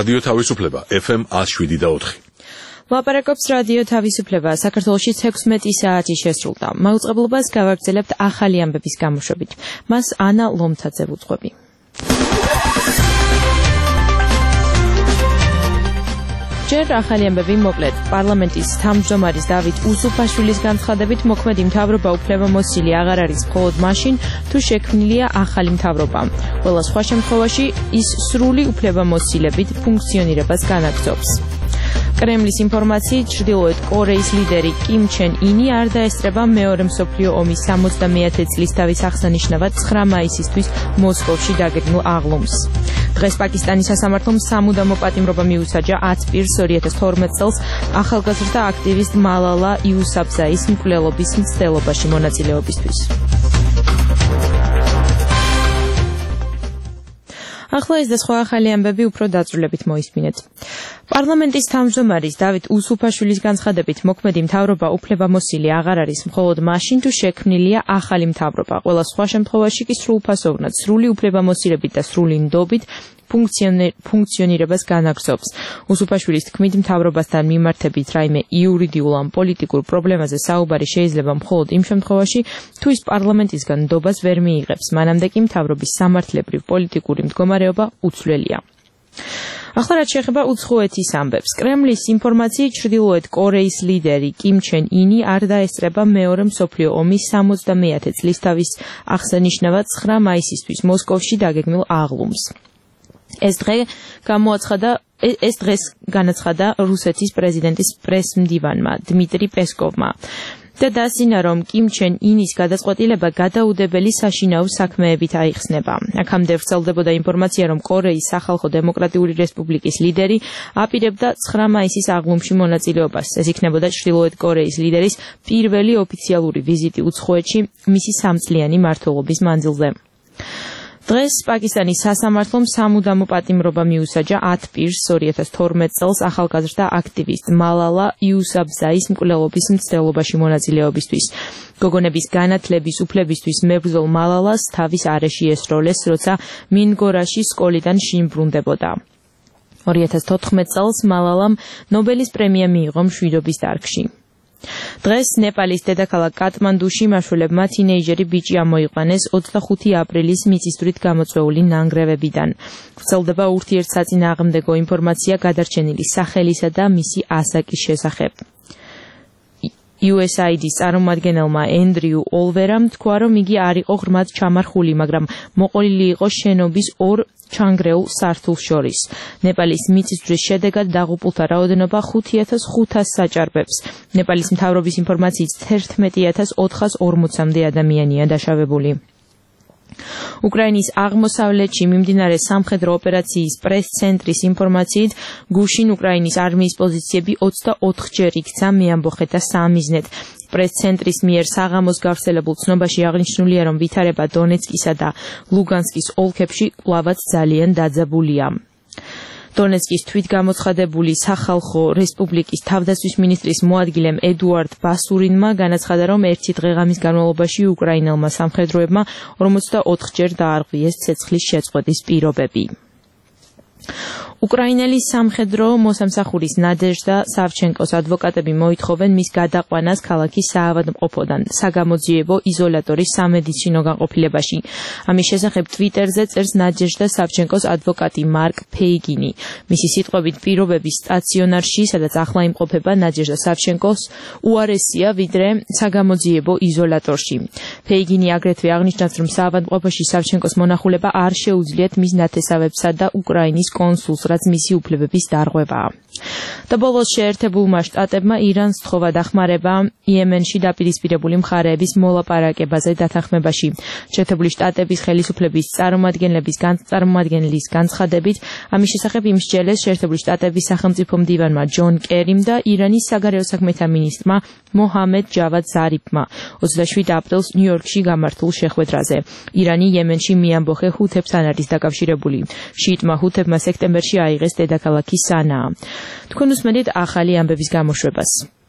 რადიო თავისუფლება FM 107.4. ლაპარაკობს რადიო თავისუფლება. საქართველოში 16 საათი შესრულდა. მაუწყებლობას გავაგრძელებთ ახალი ამბების გამოშვებით. მას ანა ლომთაძე ვუძღვები. ჯერ ახალი ამბები მოკლედ. პარლამენტის თავმჯდომარის დავით უსუფაშვილის განცხადებით მოქმედი მთავრობა უფლებამოსილი აღარ არის მხოლოდ მაშინ, თუ შექმნილია ახალი მთავრობა. ყველა სხვა შემთხვევაში ის სრული უფლებამოსილებით ფუნქციონირებას განაგრძობს. კრემლის ინფორმაციით ჩრდილოეთ კორეის ლიდერი კიმ ჩენ ინი არ დაესწრება მეორე მსოფლიო ომის 70-ე წლის დავის აღსანიშნავად 9 მაისისთვის მოსკოვში დაგეგმილ აღლუმს. დღეს პაკისტანის სასამართლომ სამუდამო პატიმრობა მიუსაჯა 10 პირს 2012 წელს ახალგაზრდა აქტივისტ მალალა იუსაფზაის მკვლელობის მცდელობაში მონაწილეობისთვის. ახლა ეს და სხვა ახალი ამბები უფრო დაწვრილებით მოისმინეთ. პარლამენტის თავმჯდომარის დავით უსუფაშვილის განცხადებით მოქმედი მთავრობა უფლებამოსილი აღარ არის მხოლოდ მაშინ, თუ შექმნილია ახალი მთავრობა. ყველა სხვა შემთხვევაში კი სრულფასოვნად, სრული უფლებამოსილებით და სრული ნდობით ფუნქციონირებას განაგრძობს. უსუფაშვილის თქმით, მთავრობასთან მიმართებით რაიმე იურიდიულ ან პოლიტიკურ პრობლემაზე საუბარი შეიძლება მხოლოდ იმ შემთხვევაში, თუ ის პარლამენტისგან ნდობას ვერ მიიღებს. მანამდე კი მთავრობის სამართლებრივ პოლიტიკური მდგომარეობა უცვლელია. ახლა რაც შეეხება უცხოეთის ამბებს. კრემლის ინფორმაციით ჩრდილოეთ კორეის ლიდერი კიმ ჩენ ინი არ დაესწრება მეორე მსოფლიო ომის 70-ე წლის დავის აღსანიშნავად 9 მაისისთვის მოსკოვში დაგეგმილ აღლუმს. ეს დღეს განაცხადა რუსეთის პრეზიდენტის პრესმდივანმა დმიტრი პესკოვმა და დასინა, რომ კიმ ჩენ ინის გადაწყვეტილება გადაუდებელი საშინაო საქმეებით აიხსნება. აქამდე ვრცელდებოდა ინფორმაცია, რომ კორეის სახალხო დემოკრატიული რესპუბლიკის ლიდერი აპირებდა 9 მაისის აღლუმში მონაწილეობას. ეს იქნებოდა ჩრდილოეთ კორეის ლიდერის პირველი ოფიციალური ვიზიტი უცხოეთში მისი 3 წლიანი მმართველობის მანძილზე. დღეს პაკისტანის სასამართლომ სამუდამო პატიმრობა მიუსაჯა 10 პირს 2012 წელს ახალგაზრდა აქტივისტ მალალა იუსაფზაის მკვლელობის მცდელობაში მონაწილეობისთვის. გოგონების განათლების უფლებისთვის მებრძოლ მალალას თავის არეში ესროლეს, როცა მინგორაში სკოლიდან შიმბრუნდებოდა. 2014 წელს მალალამ ნობელის პრემია მიიღო მშვიდობის დარგში. დღეს ნეპალის დედაქალაქ კატმანდუში მაშველებმა თინეიჯერი ბიჭი ამოიყვანეს 25 აპრილის მიწისძვრით გამოწვეული ნანგრევებიდან. ვრცელდება ურთიერთსაწინააღმდეგო ინფორმაცია გადარჩენილი სახელისა და მისი ასაკის შესახებ. USAID-ის წარმომადგენელმა ენდრიუ ოლვერამ თქვა, რომ იგი არ იყო ღრმად ჩამარხული, მაგრამ მოყოლილი იყო შენობის 2 ჩანგრეულ სართულს შორის. ნეპალის მიწისძვრის შედეგად დაღუპულთა რაოდენობა 5500 საჭარბებს. ნეპალის მთავრობის ინფორმაციით 11440-მდე ადამიანია დაშავებული. უკრაინის აღმოსავლეთში მიმდინარე სამხედრო ოპერაციის პრეს-ცენტრის ინფორმაციით, გუშინ უკრაინის არმიის პოზიციები 24-ჯერ იქცა მეამბოხეთა სამიზნედ. პრეს-ცენტრის მიერ საღამოს გავრცელებულ ცნობაში აღნიშნულია, რომ ვითარება დონეცკისა და ლუგანსკის ოლქებში კვლავაც ძალიან დაძაბულია. დონეცკის თვითგამოცხადებული სახალხო რესპუბლიკის თავდაცვის მინისტრის მოადგილემ ედუარდ ბასურინმა განაცხადა, რომ ერთი დღე-ღამის განმავლობაში უკრაინელმა სამხედროებმა 44-ჯერ დაარღვიეს ცეცხლის შეწყვეტის პირობები. უკრაინელი სამხედრო მოსამსახურის ნადეჟდა სავჩენკოს ადვოკატები მოითხოვენ მის გადაყვანას ქალაქის საავადმყოფოდან საგამოძიებო იზოლატორის სამედიცინო განყოფილებაში. ამის შესახებ ტვიტერზე წერს ნადეჟდა სავჩენკოს ადვოკატი მარკ ფეიგინი. მისი სიტყვებით პირობების სტაციონარში, სადაც ახლა იმყოფება ნადეჟდა სავჩენკოს, უარესია ვიდრე საგამოძიებო იზოლატორში. ფეიგინი აგრეთვე აღნიშნავს, რომ საავადმყოფოში სავჩენკოს მონახულება არ შეუძლიათ მის ნათესავებსა და უკრაინის კონსულს, რაც მისი უფლებების დარღვევაა. და ბოლოს შეერთებულმა შტატებმა ირანს სთხოვა დახმარება იემენში დაპირისპირებული მხარეების მოლაპარაკებაზე დათანხმებაში. შეერთებული შტატების ხელისუფლების წარმომადგენლის განცხადებით, ამის შესახებ იმსჯელეს შეერთებული შტატების სახელმწიფო მდივანმა ჯონ კერიმ და ირანის საგარეო საქმეთა მინისტრმა მოჰამედ ჯავად ზარიფმა 27 აპრილს ნიუ-იორკში გამართულ შეხვედრაზე. ირანი იემენში მიამბოხე ჰუთებთან არის დაკავშირებული. შიიტმა ჰუთებმა სექტემბერში აიღეს დედაქალაქი სანაა. თქვენ უსმენთ ახალი ამბების გამოშვებას.